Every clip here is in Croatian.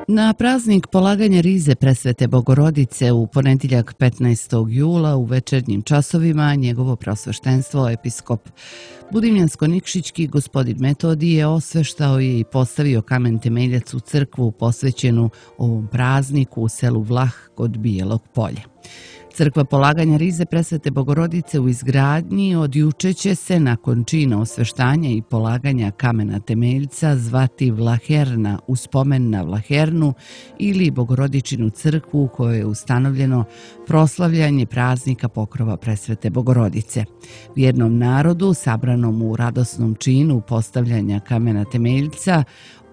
Na praznik polaganja rize presvete Bogorodice u ponedjeljak 15. jula u večernjim časovima njegovo preosveštenstvo episkop Budimljansko-Nikšićki gospodin Metodije osveštao je i postavio kamen temeljac u crkvu posvećenu ovom prazniku u selu Vlah kod Bijelog polja. Crkva polaganja rize presvete Bogorodice u izgradnji od juče će se nakon čina osveštanja i polaganja kamena temeljca zvati Vlaherna u spomen na Vlahernu ili Bogorodičinu crkvu u kojoj je ustanovljeno proslavljanje praznika pokrova presvete Bogorodice. Vjernom narodu sabranom u radosnom činu postavljanja kamena temeljca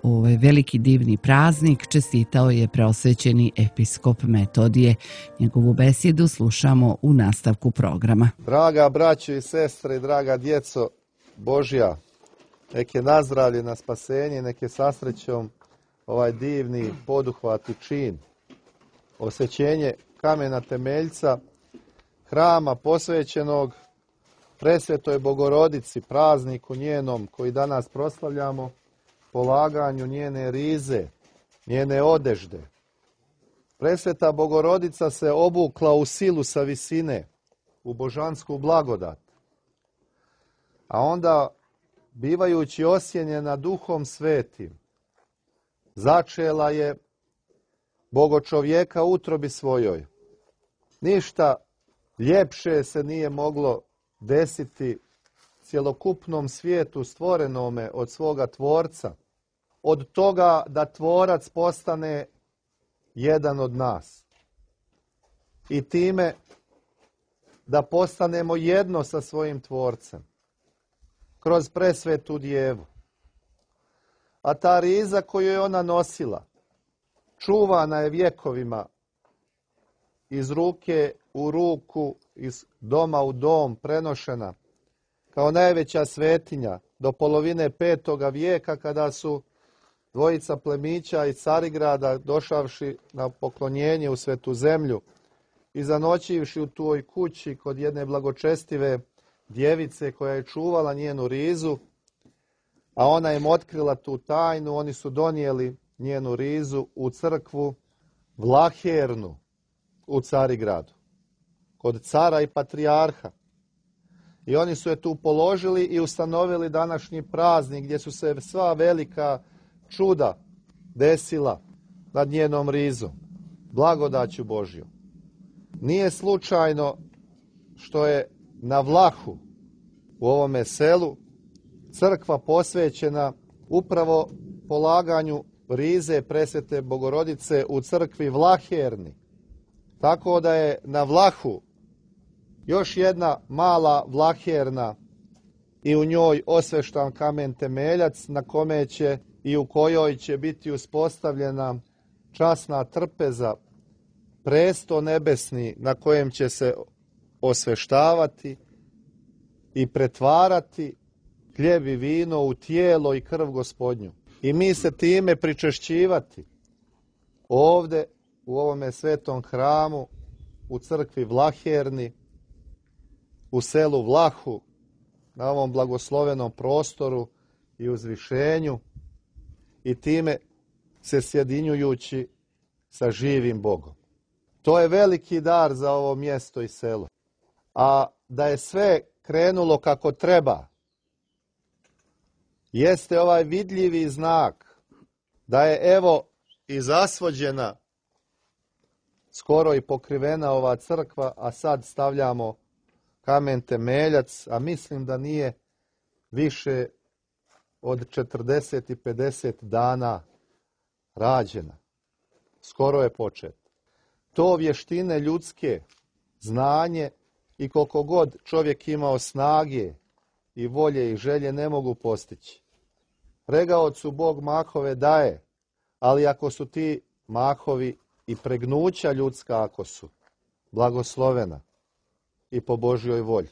ovaj veliki divni praznik čestitao je preosvećeni episkop Metodije. Njegovu besedu slušamo u nastavku programa. Draga braćo i sestre, draga djeco Božja, nek je nazdravlje na spasenje, nek je sa srećom ovaj divni poduhvat i čin. Osvećenje kamena temeljca hrama posvećenog presvetoj Bogorodici, prazniku njenom koji danas proslavljamo, polaganju njene rize, njene odežde. Presveta Bogorodica se obukla u silu sa visine, u božansku blagodat. A onda, bivajući osjenjena Duhom Svetim, začela je Bogočovjeka u utrobi svojoj. Ništa ljepše se nije moglo desiti cjelokupnom svijetu stvorenome od svoga Tvorca, od toga da Tvorac postane jedan od nas. I time da postanemo jedno sa svojim Tvorcem, kroz presvetu Djevu. A ta riza koju je ona nosila, čuvana je vjekovima, iz ruke u ruku, iz doma u dom prenošena, kao najveća svetinja do polovine 5. vijeka kada su dvojica plemića iz Carigrada došavši na poklonjenje u Svetu zemlju i zanoćivši u toj kući kod jedne blagočestive djevice koja je čuvala njenu rizu, a ona im otkrila tu tajnu, oni su donijeli njenu rizu u crkvu Vlahernu u Carigradu, kod cara i patrijarha. I oni su je tu položili i ustanovili današnji praznik gdje su se sva velika čuda desila nad njenom rizom, blagodaću Božjom. Nije slučajno što je na Vlahu, u ovome selu, crkva posvećena upravo polaganju rize presvete Bogorodice u crkvi Vlaherni. Tako da je na Vlahu još jedna mala Vlaherna i u njoj osveštan kamen temeljac na kome će i u kojoj će biti uspostavljena časna trpeza, presto nebesni na kojem će se osveštavati i pretvarati hljeb i vino u tijelo i krv Gospodnju. I mi se time pričešćivati ovdje u ovome svetom hramu, u crkvi Vlaherni, u selu Vlahu, na ovom blagoslovenom prostoru i uzvišenju i time se sjedinjujući sa živim Bogom. To je veliki dar za ovo mjesto i selo. A da je sve krenulo kako treba, jeste ovaj vidljivi znak da je evo i zasvođena, skoro i pokrivena ova crkva, a sad stavljamo kamen temeljac, a mislim da nije više od 40 i 50 dana rađena. Skoro je počet. To vještine ljudske, znanje i koliko god čovjek imao snage i volje i želje ne mogu postići. Pregaocu Bog mahove daje, ali ako su ti mahovi i pregnuća ljudska, ako su blagoslovena i po Božjoj volji.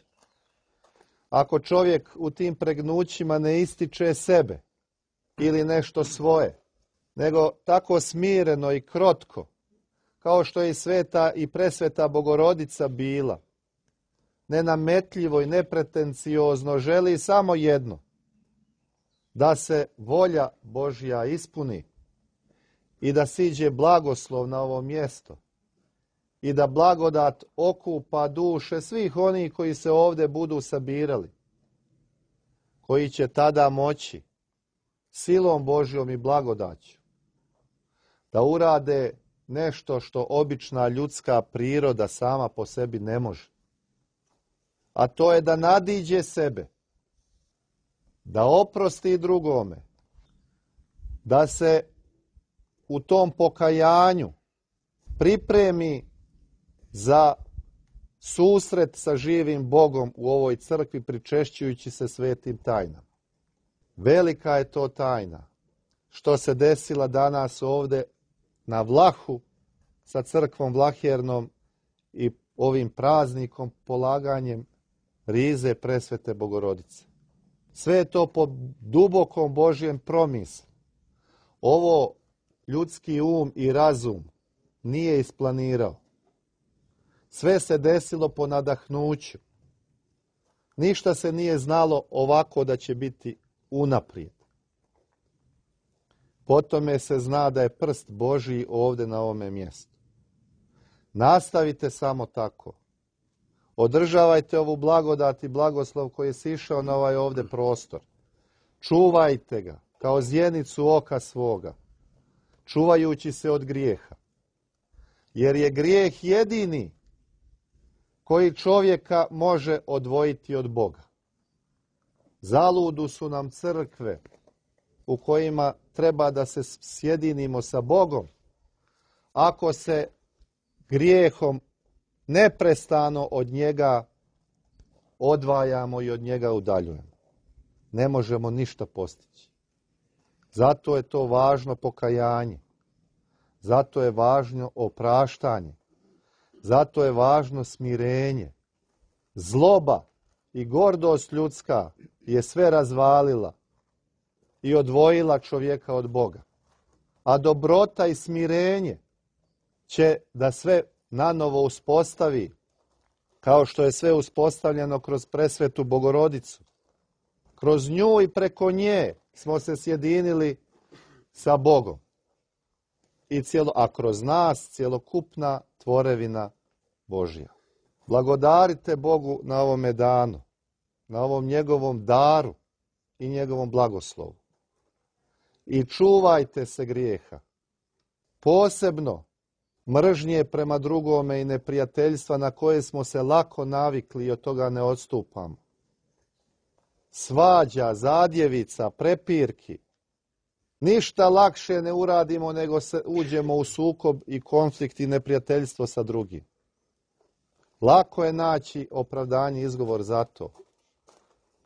Ako čovjek u tim pregnućima ne ističe sebe ili nešto svoje, nego tako smireno i krotko, kao što je i sveta i presveta Bogorodica bila, nenametljivo i nepretenciozno želi samo jedno, da se volja Božja ispuni i da siđe blagoslov na ovo mjesto i da blagodat okupa duše svih onih koji se ovdje budu sabirali, koji će tada moći silom Božjom i blagodaću da urade nešto što obična ljudska priroda sama po sebi ne može. A to je da nadiđe sebe, da oprosti drugome, da se u tom pokajanju pripremi za susret sa živim Bogom u ovoj crkvi, pričešćujući se svetim tajnama. Velika je to tajna što se desila danas ovdje na Vlahu sa crkvom Vlahernom i ovim praznikom, polaganjem rize presvete Bogorodice. Sve je to po dubokom Božjem promislu. Ovo ljudski um i razum nije isplanirao. Sve se desilo po nadahnuću. Ništa se nije znalo ovako da će biti unaprijed. Po tome se zna da je prst Božji ovdje na ovome mjestu. Nastavite samo tako. Održavajte ovu blagodat i blagoslov koji je sišao na ovaj ovdje prostor. Čuvajte ga kao zjenicu oka svoga, čuvajući se od grijeha. Jer je grijeh jedini koji čovjeka može odvojiti od Boga. Zaludu su nam crkve u kojima treba da se sjedinimo sa Bogom, ako se grijehom neprestano od njega odvajamo i od njega udaljujemo. Ne možemo ništa postići. Zato je to važno pokajanje. Zato je važno opraštanje. Zato je važno smirenje. Zloba i gordost ljudska je sve razvalila i odvojila čovjeka od Boga. A dobrota i smirenje će da sve nanovo uspostavi, kao što je sve uspostavljeno kroz presvetu Bogorodicu. Kroz nju i preko nje smo se sjedinili sa Bogom. A kroz nas cjelokupna tvorevina Božja. Blagodarite Bogu na ovome danu, na ovom njegovom daru i njegovom blagoslovu. I čuvajte se grijeha. Posebno mržnje prema drugome i neprijateljstva na koje smo se lako navikli i od toga ne odstupamo. Svađa, zadjevica, prepirki. Ništa lakše ne uradimo nego se uđemo u sukob i konflikt i neprijateljstvo sa drugim. Lako je naći opravdanje i izgovor za to.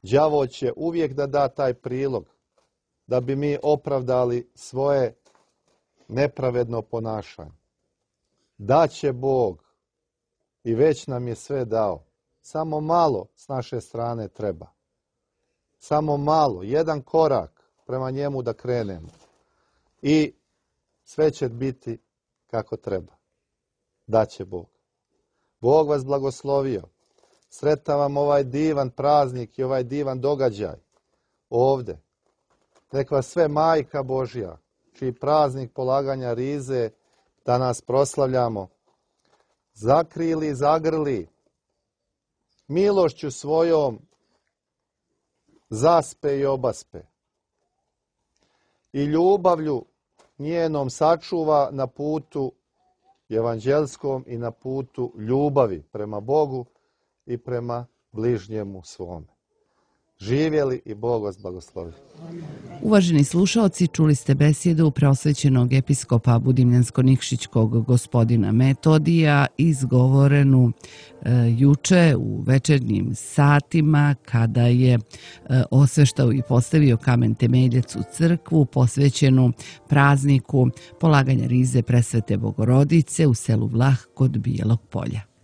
Đavo će uvijek da da taj prilog da bi mi opravdali svoje nepravedno ponašanje. Daće Bog i već nam je sve dao. Samo malo s naše strane treba. Samo malo, jedan korak prema njemu da krenemo. I sve će biti kako treba. Daće Bog. Bog vas blagoslovio. Sretan vam ovaj divan praznik i ovaj divan događaj ovdje. Nek vas sve Majka Božja, čiji praznik polaganja rize danas proslavljamo, zakrili, zagrli, milošću svojom zaspe i obaspe i ljubavlju njenom sačuva na putu evanđelskom i na putu ljubavi prema Bogu i prema bližnjemu svome. Živjeli i Bog vas blagoslovi. Uvaženi slušaoci, čuli ste besjedu preosvećenog episkopa Budimljansko-Nikšićkog gospodina Metodija, izgovorenu juče u večernjim satima kada je osveštao i postavio kamen temeljac u crkvu posvećenu prazniku polaganja rize presvete Bogorodice u selu Vlah kod Bijelog Polja.